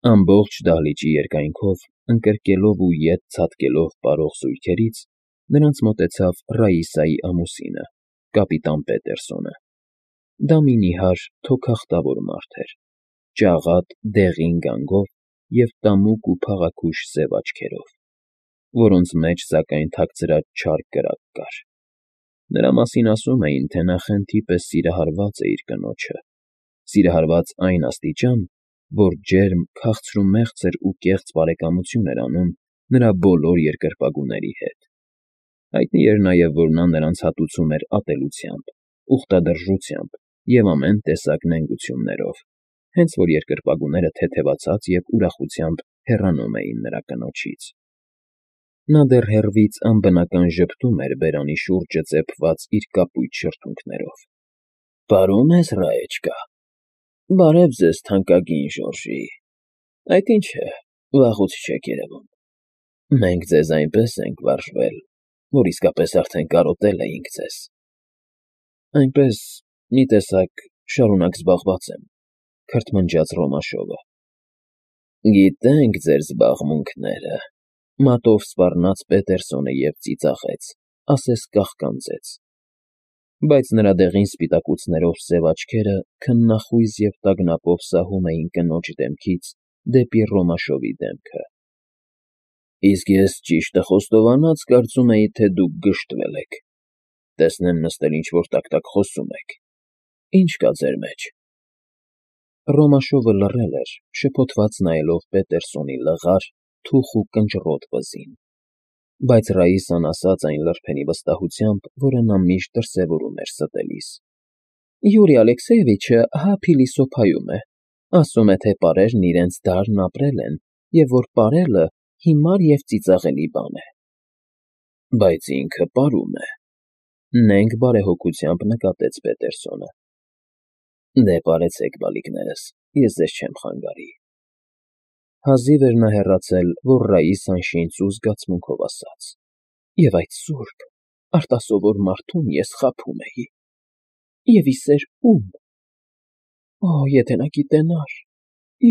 Ամբողջ դահլիճի երկայնքով, ընկրկելով ու ետ ցատկելով պարող զույգերից, նրանց մոտեցավ Ռաիսայի ամուսինը, կապիտան Պետերսոնը. դա մի նիհար, թոքախտավոր մարդ էր, ճաղատ, դեղին գանգով և տամուկ ու փաղաքուշ սև աչքերով, որոնց մեջ, սակայն, թաքցրած չար կրակ կար. նրա մասին ասում էին, թե նա խենթի պես սիրահարված է իր կնոջը, սիրահարված այն աստիճան, որ ջերմ, քաղցրումեղձր ու կեղծ բարեկամություն էր անում նրա բոլոր երկրպագուների հետ. հայտնի էր նաև, որ նա նրանց հատուցում էր ատելությամբ, ուխտադրժությամբ և ամեն տեսակ նենգություններով, հենց որ երկրպագուները թեթևացած և ուրախությամբ հեռանում էին նրա կնոջից. նա դեռ հեռվից անբնական ժպտում էր բերանի շուրջը ծեփված իր կապույտ շրթունքներով։ ֊ Պարում ես, Ռաեչկա, բարև ձեզ, թանկագին Ժորժի, այդ ինչ է, վաղուց չեք երևում, մենք ձեզ այնպես ենք վարժվել, որ իսկապես արդեն կարոտել էինք ձեզ։ ֊ Այնպես, մի տեսակ, շարունակ զբաղված եմ,֊ քրթմնջաց Ռոմաշովը։ ֊ Գիտենք ձեր զբաղմունքները,֊ մատով սպառնաց Պետերսոնը և ծիծաղեց, ասես կաղկանձեց, բայց նրա դեղին սպիտակուցներով սև աչքերը քննախույզ և տագնապով սահում էին կնոջ դեմքից դեպի Ռոմաշովի դեմքը։ ֊ Իսկ ես ճիշտը խոստովանած կարծում էի, թե դուք գժտվել եք, տեսնեմ նստել ինչ֊որ տակ֊տակ խոսում եք, ի՞նչ կա ձեր մեջ։ Ռոմաշովը լռել էր, շփոթված նայելով Պետերսոնի լղար, թուխ ու կնճռոտ վզին, բայց Ռաիսան ասաց այն լրփենի վստահությամբ, որը նա միշտ դրսևորում էր ստելիս. ֊ Յուրի Ալեքսեևիչը հա փիլիսոփայում է, ասում է, թե պարերն իրենց դարն ապրել են և որ պարելը հիմար և ծիծաղելի բան է։ ֊ Բայց ինքը պարում է,֊ նենգ բարեհոգությամբ նկատեց Պետերսոնը։ ֊ Դե պարեցեք, բալիկներս, ես ձեզ չեմ խանգարի։ Հազիվ էր նա հեռացել, որ Ռաիսան շինծ ու զգացմունքով ասաց. ֊ Եվ այդ սուրբ, արտասովոր մարդուն ես խաբում էի… Եվ ի սեր ո՞ւմ… Օ, եթե նա գիտենար,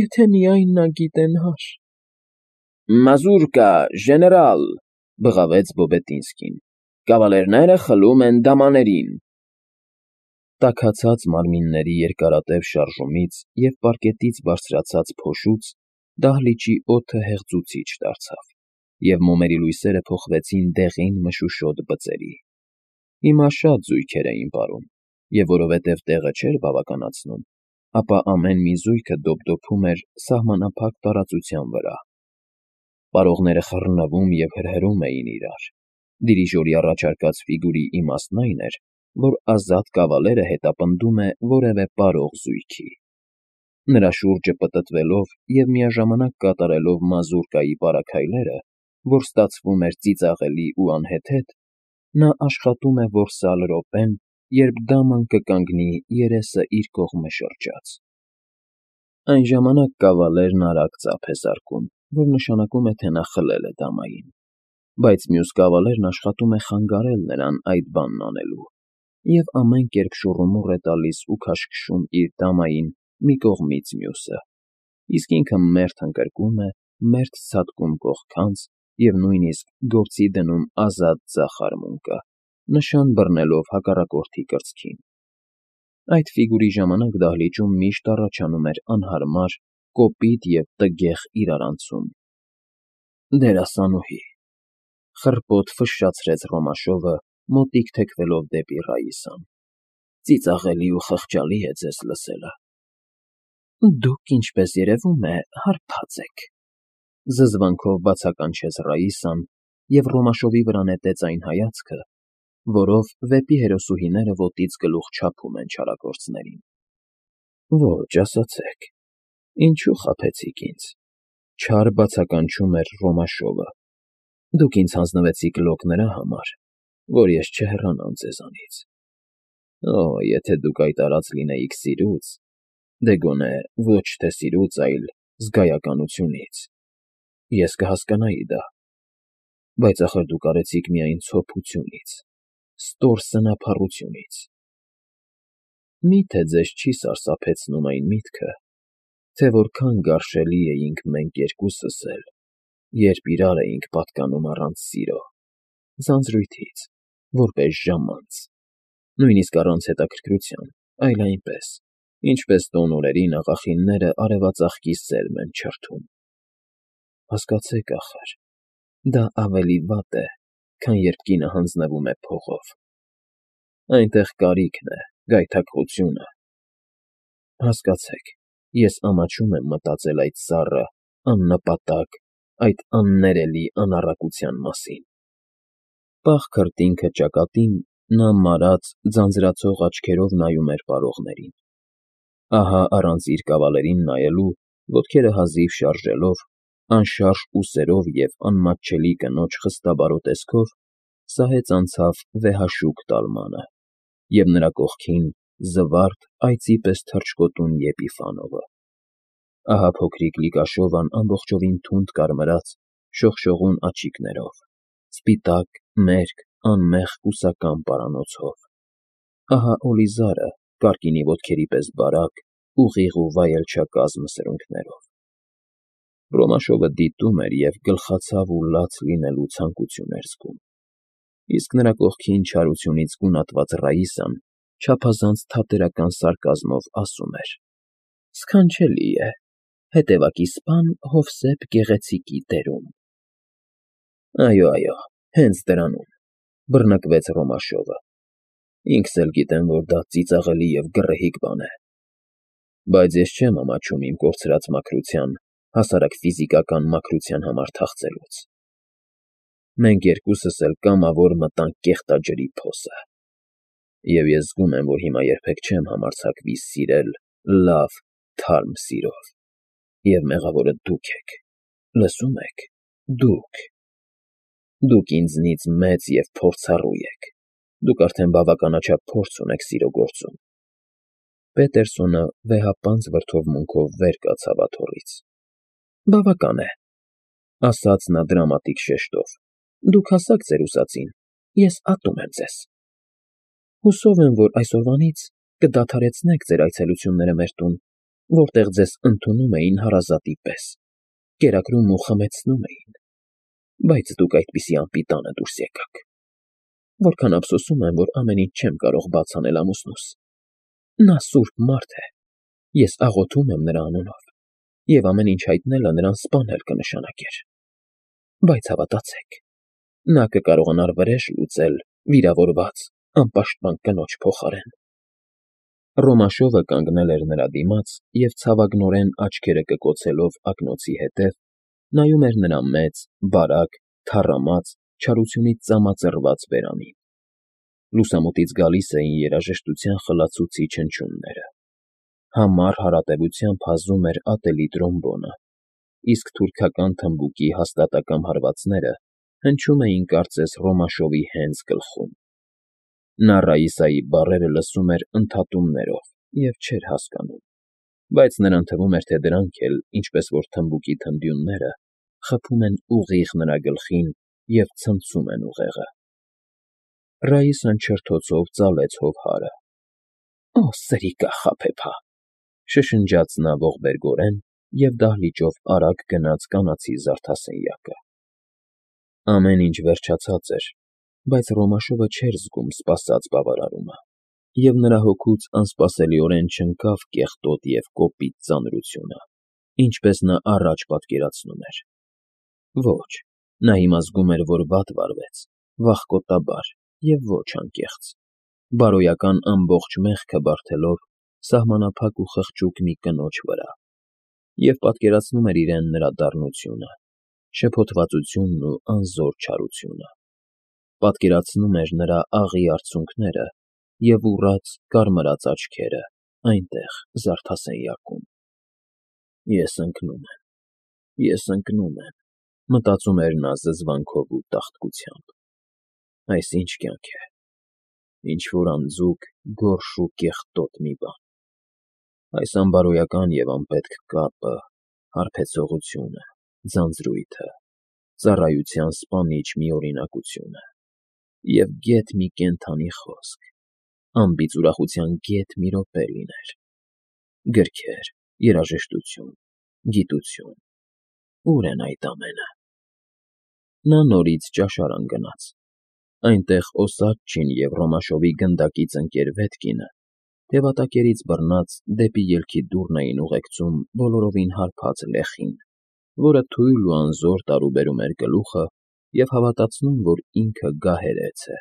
եթե միայն նա գիտենար… ֊ Մազուրկա, ժեներալ,֊ բղավեց Բոբետինսկին,֊ կավալերները խլում են դամաներին… Տաքացած մարմինների երկարատև շարժումից և պարկետից բարձրացած փոշուց դահլիճի օդը հեղձուցիչ դարձավ, և մոմերի լույսերը փոխվեցին դեղին մշուշոտ բծերի։ Հիմա շատ զույգեր էին պարում, և որովհետև տեղը չէր բավականացնում, ապա ամեն մի զույգը դոպդոփում էր սահմանափակ տարածության վրա։ Պարողները խռնվում և հրհրում էին իրար։ Դիրիժորի առաջարկած ֆիգուրի իմաստն այն էր, որ ազատ կավալերը հետապնդում է որևէ պարող զույգի։ Նրա շուրջը պտտվելով և միաժամանակ կատարելով մազուրկայի պարաքայլերը, որ ստացվում էր ծիծաղելի ու անհեթեթ, նա աշխատում է որսալ րոպեն, երբ դաման կկանգնի երեսը իր կողմը շրջած։ Այն ժամանակ կավալերն արագ ծափ է զարկում, որ նշանակում է, թե նա խլել է դամային, բայց մյուս կավալերն աշխատում է խանգարել նրան այդ բանն անելու և ամեն կերպ շուռումուռ է տալիս ու քաշքշում իր դամային մի կողմից մյուսը, իսկ ինքը մերթ ընկրկում է, մերթ ցատկում կողքանց և նույնիսկ գործի դնում ազատ ձախ արմունկը, նշան բռնելով հակառակորդի կրծքին։ Այդ ֆիգուրի ժամանակ դահլիճում միշտ առաջանում էր անհարմար, կոպիտ և տգեղ իրարանցում։ ֊ Դերասանուհի,֊ խռպոտ ֆշշացրեց Ռոմաշովը, մոտիկ թեքվելով դեպի Ռաիսան,֊ ծիծաղելի ու խղճալի է ձեզ լսելը։ ֊ Դուք, ինչպես երևում է, հարբած եք,֊ զզվանքով բացականչեց Ռաիսան և Ռոմաշովի վրա նետեց այն հայացքը, որով վեպի հերոսուհիները ոտից գլուխ չափում են չարագործներին։ ֊ Ո՛չ, ասացեք, ինչո՞ւ խաբեցիք ինձ,֊ չար բացականչում էր Ռոմաշովը։ ֊ Դուք ինձ հանձնվեցիք լոկ նրա համար, որ ես չհեռանամ ձեզանից… Օ, եթե դուք այդ արած լինեիք սիրուց, դե գոնե ոչ թե սիրուց, այլ զգայականությունից, ես կհասկանայի դա, բայց ախր դուք արեցիք միայն ցոփությունից, ստոր սնափառությունից… Մի՞թե ձեզ չի սարսափեցնում այն միտքը, թե որքան գարշելի էինք մենք երկուսս էլ, երբ իրար էինք պատկանում առանց սիրո, ձանձրույթից, որպես ժամանց, նույնիսկ առանց հետաքրքրության, այլ այնպես, ինչպես տոնորերին աղախինները արևածաղկի սերմ են չրթում։ Հասկացեք, ախր, դա ավելի վատ է, քան երբ կինը հանձնվում է փողով։ Այնտեղ կարիքն է, գայթակղությունը։ Հասկացեք, ես ամաչում եմ մտածել այդ սառը, աննպատակ, այդ աններելի անառակության մասին։ Պաղ քրտինքը ճակատին նա մարած, ձանձրացող աչքերով նայում էր պարողներին։ Ահա առանց իր կավալերին նայելու, ոտքերը հազիվ շարժելով, անշարժ ուսերով և անմատչելի կնոջ խստաբարո տեսքով սահեց անցավ վեհաշուք տալմանը, և նրա կողքին զվարթ այծի պես թռչկոտուն Եպիֆանովը։ Ահա փոքրիկ Լիկաշովան ամբողջովին թունդ կարմրած, շողշողուն աչիկներով, սպիտակ, մերկ, անմեղ կուսակամ պարանոցով։ Ահա Օլիզարը կարկինի ոտքերի պես բարակ, ուղիղ ու վայելչակազմ սրունքներով։ Ռոմաշովը դիտում էր և գլխացավ ու լաց լինելու ցանկություն էր զգում։ Իսկ նրա կողքին չարությունից գունատված Ռաիսան չափազանց թատերական սարկազմով ասում էր. «Սքանչելի է, հետևակի սպան Հովսեփ Գեղեցիկի դերում»։ Այո, հենց դրանում, բռնկվեց Ռոմաշովը։ Ինքս էլ գիտեմ, որ դա ծիծաղելի և գռեհիկ բան է։ Բայց ես չեմ ամաչում իմ կորցրած մաքրության, հասարակ ֆիզիկական մաքրության համար թախծելուց։ Մենք երկուսս էլ կամավոր մտանք կեղտաջրի փոսը։ Եվ ես զգում եմ, որ հիմա երբեք չեմ համարձակվի սիրել լավ, թարմ սիրով։ Եվ մեղավորը դուք եք, լսո՞ւմ եք, դուք։ Դուք ինձնից մեծ և փորձառու եք, դուք արդեն բավականաչափ փորձ ունեք սիրո գործում։ Պետերսոնը վեհապանծ վրդովմունքով վեր կացավ աթոռից։ Բավական է, ասաց նա դրամատիկ շեշտով, դուք հասաք ձեր ուզածին, ես ատում եմ ձեզ։ Հուսով եմ, որ այսօրվանից կդադարեցնեք ձեր այցելությունները մեր տուն, որտեղ ձեզ ընդունում էին հարազատի պես, կերակրում ու խմեցնում էին, բայց դուք այդպիսի անպիտանը դուրս եկաք։ Որքան ափսոսում եմ, որ ամեն ինչ չեմ կարող բաց անել ամուսնուս։ Նա սուրբ մարդ է, ես աղոթում եմ նրա անունով, և ամեն ինչ հայտնելը նրան սպանել կնշանակեր։ Բայց հավատացեք, նա կկարողանար վրեժ լուծել վիրավորված, անպաշտպան կնոջ փոխարեն։ Ռոմաշովը կանգնել էր նրա դիմաց և ցավագնորեն աչքերը կկոցելով ակնոցի հետև, նայում էր նրա մեծ, բարակ, թառամած, չարությունից ծամածռված բերանին։ Լուսամուտից գալիս էին երաժշտության խլացուցիչ հնչյունները։ Համառ հարատևությամբ հազում էր ատելի տրոմբոնը, իսկ թուրքական թմբուկի հաստատակամ հարվածները հնչում էին կարծես Ռոմաշովի հենց գլխում։ Նա Ռաիսայի բառերը լսում էր ընդհատումներով և չէր հասկանում, բայց նրան թվում էր, թե դրանք էլ, ինչպես որ թմբուկի թնդյունները, խփում են ուղիղ նրա գլխին և ցնցում են ուղեղը։ Ռաիսան չրթոցով ծալեց հովհարը։ Օ, սրիկա խաբեբա, շշնջաց նա ողբերգորեն և դահլիճով արագ գնաց կանացի զարդասենյակը։ Ամեն ինչ վերջացած էր, բայց Ռոմաշովը չէր զգում սպասած բավարարումը, և նրա հոգուց անսպասելիորեն չընկավ կեղտոտ և կոպիտ ծանրությունը, ինչպես նա առաջ պատկերացնում էր։ Ոչ, նա հիմա զգում էր, որ վատ վարվեց, վախկոտաբար և ոչ անկեղծ, բարոյական ամբողջ մեղքը բարդելով սահմանափակ ու խղճուկ մի կնոջ վրա, և պատկերացնում էր իրեն նրա դառնությունը, շփոթվածությունն ու անզոր չարությունը, պատկերացնում էր նրա աղի արցունքները և ուռած, կարմրած աչքերը այնտեղ զարդասենյակում։ Ես ընկնում եմ, մտածում էր նա զզվանքով ու տաղտկությամբ։ Այս ինչ կյանք է, ինչ֊որ անձուկ, գորշ ու կեղտոտ մի բան։ Այս անբարոյական և անպետք կապը, հարբեցողությունը, ձանձրույթը, ծառայության սպանիչ միօրինակությունը և գեթ մի կենդանի խոսք, անբիծ ուրախության գեթ մի րոպե լիներ։ Գրքեր, երաժշտություն, գիտություն, ուր են այդ ամենը։ Նա նորից ճաշարան գնաց։ Այնտեղ Օսաչչին և Ռոմաշովի գնդակից ընկեր Վետկինը թևատակերից բռնած դեպի ելքի դուռն էին ուղեկցում բոլորովին հարբած լեխին, որը թույլ ու անզոր տարուբերում էր գլուխը և հավատացնում, որ ինքը գահերեց է։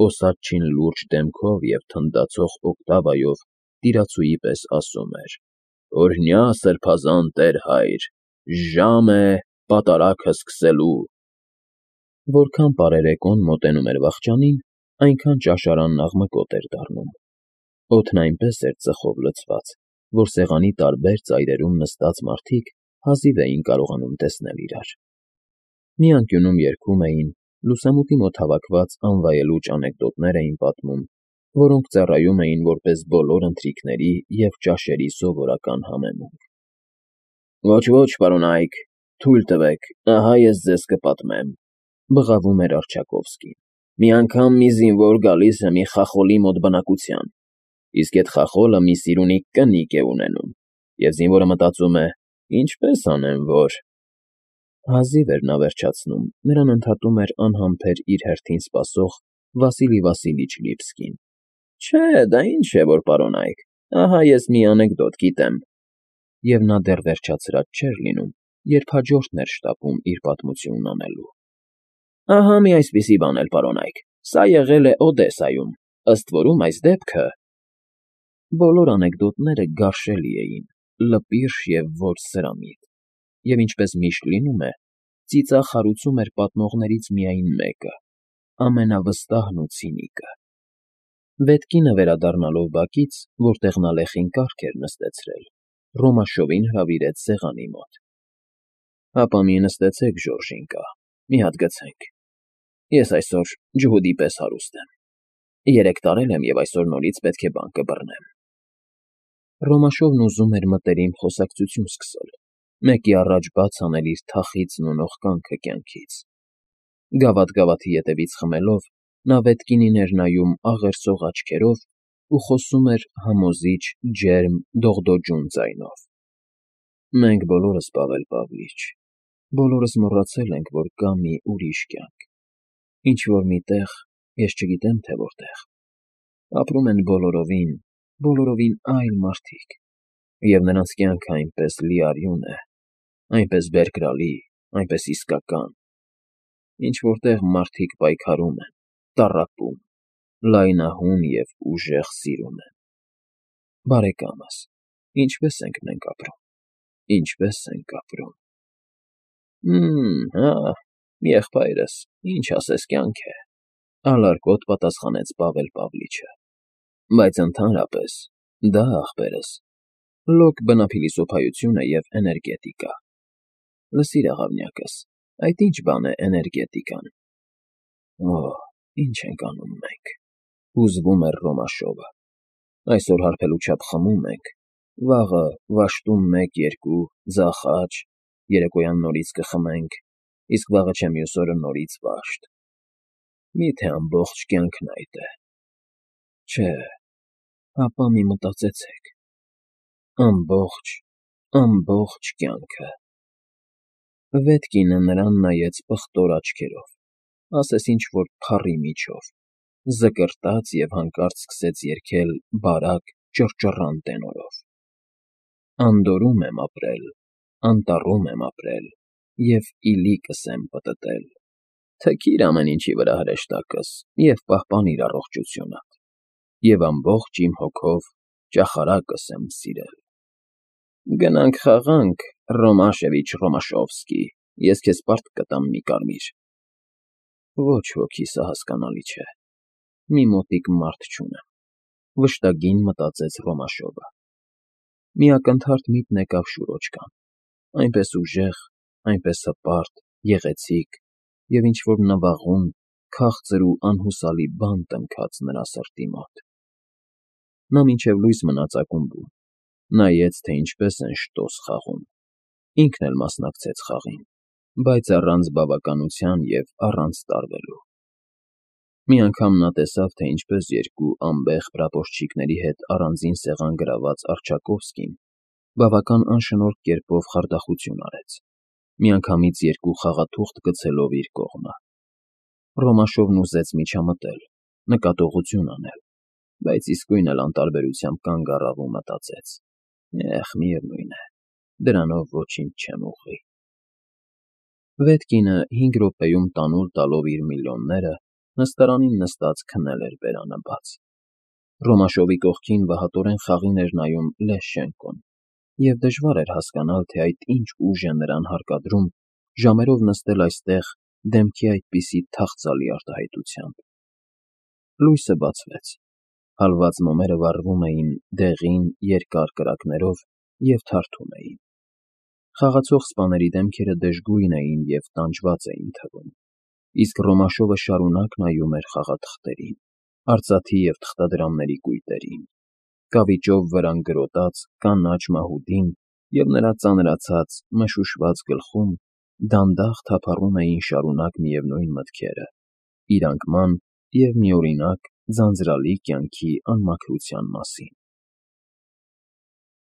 Օսաչչին լուրջ դեմքով և թնդացող օկտավայով տիրացուի պես ասում էր. «Օրհնյա սրբազան տեր-հայր, ժամ է պատարագը սկսելու»։ Որքան պարերեկոն մոտենում էր վախճանին, այնքան ճաշարանն աղմկոտ էր դառնում։ Օդն այնպես էր ծխով լցված, որ սեղանի տարբեր ծայրերում նստած մարդիկ հազիվ էին կարողանում տեսնել իրար։ Մի անկյունում երգում էին, լուսամուտի մոտ հավաքված անվայելուչ անեկդոտներ էին պատմում, որոնք ծառայում էին որպես բոլոր ընթրիքների և ճաշերի սովորական համեմունք։ «Ոչ, պարոնայք, թույլ տվեք, ահա ես ձեզ կպատմեմ», բղավում էր Առջակովսկին։ «Մի անգամ մի զինվոր գալիս է մի խախոլի մոտ բնակության, իսկ էդ խախոլը մի սիրունի կնիկ է ունենում, և զինվորը մտածում է. ինչպես անեմ, որ…» Հազիվ էր նա վերջացնում, նրան ընդհատում էր անհամբեր իր հերթին սպասող Վասիլի Վասիլիչ Լիվսկին։ «Չէ, դա ինչ է, որ պարոնայք, ահա ես մի անեկդոտ գիտեմ»։ Եվ նա դեռ վերջացրած չէր լինում, երբ հաջորդն էր շտապում իր պատմությունն անելու։ «Ահա մի այսպիսի բան էլ, պարոնայք, սա եղել է Օդեսայում, ըստ որում այս դեպքը…» Բոլոր անեկդոտները գարշելի էին, լպիրշ և ոչ սրամիտ, և ինչպես միշտ լինում է, ծիծաղ հարուցում էր պատմողներից միայն մեկը, ամենավստահն ու ցինիկը։ Վետկինը վերադառնալով բակից, որտեղ նա լեխին կառք էր նստեցրել, Ռոմաշովին հրավիրեց սեղանի մոտ։ «Հապա մի նստեցեք, Ժորժինկա, մի հատ գցենք։ Ես այսօր ջհուդի պես հարուստ եմ, 3 տարել եմ և այսօր նորից պետք է բան կբռնեմ»։ Ռոմաշովն ուզում էր մտերիմ խոսակցություն սկսել, մեկի առաջ բաց անել իր թախիծն ու նողկանքը կյանքից։ Գավաթ֊գավաթի ետևից խմելով՝ նա Վետկինին էր նայում աղերսող աչքերով ու խոսում էր համոզիչ, ջերմ, դողդոջուն ձայնով։ «Մենք բոլորս, Պավել Պավլիչ, բոլորս մոռացել ենք, որ կա մի ուրիշ կյանք, ինչ֊որ մի տեղ, ես չգիտեմ, թե որտեղ, ապրում են բոլորովին այլ մարդիկ, և նրանց կյանքը այնպես լիարյուն է, այնպես բերկրալի, այնպես իսկական, ինչ֊որ տեղ մարդիկ պայքարում են, տառապում, լայնահուն և ուժեղ սիրում են։ Բարեկամս, ինչպե՞ս ենք մենք ապրում, ինչպե՞ս ենք ապրում»։ Հա, եղբայրս, ինչ ասես կյանք է,֊ ալարկոտ պատասխանեց Պավել Պավլիչը։ «Բայց ընդհանրապես դա, ախպերս, լոկ բնափիլիսոփայություն է և էներգետիկա։ Լսիր, աղավնյակս, այդ ի՞նչ բան է էներգետիկան»։ «Օ, ինչ ենք անում մենք,֊ հուզվում էր Ռոմաշովը,֊ այսօր հարբելու չափ խմում ենք, վաղը վաշտում 1-2 ձախ աջ, երեկոյան նորից կխմենք, իսկ վաղը չէ մյուս օրը նորից վաշտ։ Մի՞թե ամբողջ կյանքն այդ է։ Չէ, հապա մի մտածեցեք. ամբողջ կյանքը…» Վետկինը նրան նայեց պղտոր աչքերով, ասես ինչ֊որ փառի միջով, զկրտաց և հանկարծ սկսեց երգել բարակ, ճռճռան տենորով. «Անդորում եմ ապրել, անտառում եմ ապրել և իլիկս եմ պտտել, թքիր ամեն ինչի վրա հրեշտակս և պահպանիր առողջությունդ, և ամբողջ իմ հոգով ճախարակս եմ սիրել։ Գնանք խաղանք, Ռոմաշևիչ Ռոմաշովսկի, ես քեզ պարտք կտամ մի կարմիր»։ «Ոչ ոքի, սա հասկանալի չէ, մի մոտիկ մարդ չունեմ,֊ վշտագին մտածեց Ռոմաշովը։ Մի ակնթարթ միտք եկավ շուրոջկան, այնպես ուժեղ, այնպես հպարտ, գեղեցիկ և ինչ֊որ նվաղում, քաղցր ու անհուսալի բան տնքաց նրա սրտի մոտ։ Նա մինչև լույս մնաց ակումբում, նայեց, թե ինչպես են շտոս խաղում, ինքն էլ մասնակցեց խաղին, բայց առանց բավականության և առանց տարվելու։ Մի անգամ նա տեսավ, թե ինչպես երկու անբեղ պրապորչիկների հետ առանձին սեղան գրաված Առջակովսկին բավական անշնորհք կերպով խարդախություն արեց, միանգամից երկու խաղաթուղթ գցելով իր կողմը։ Ռոմաշովն ուզեց միջամտել, նկատողություն անել, բայց իսկույն էլ անտարբերությամբ կանգ առավ ու մտածեց. միևնույն է, դրանով ոչինչ չեմ ուղղի։ Վետ կինը 5 րոպեում տանուլ տալով իր միլիոնները նստարանին նստած քնել էր բերանը բաց։ Ռոմաշովի կողքին վհատորեն խաղին էր նայում Լեշչենկոն, և դժվար էր հասկանալ, թե այդ ինչ ուժ է նրան հարկադրում ժամերով նստել այստեղ դեմքի այդպիսի թախծալի արտահայտությամբ։ Լույսը բացվեց, հալված մոմերը վառվում էին դեղին, երկար կրակներով և թարթում էին։ Խաղացող սպաների դեմքերը դժգույն էին և տանջված էին թվում, իսկ Ռոմաշովը շարունակ նայում էր խաղաթղթերին, արծաթի և թղթադրամների կույտերին, կավիճով վրան գրոտած կանաչ մահուդին և նրա ծանրացած, մշուշված գլխում դանդաղ թափառում էին շարունակ միևնույն մտքերը՝ իր անկման և միօրինակ, ձանձրալի կյանքի անմաքրության մասին։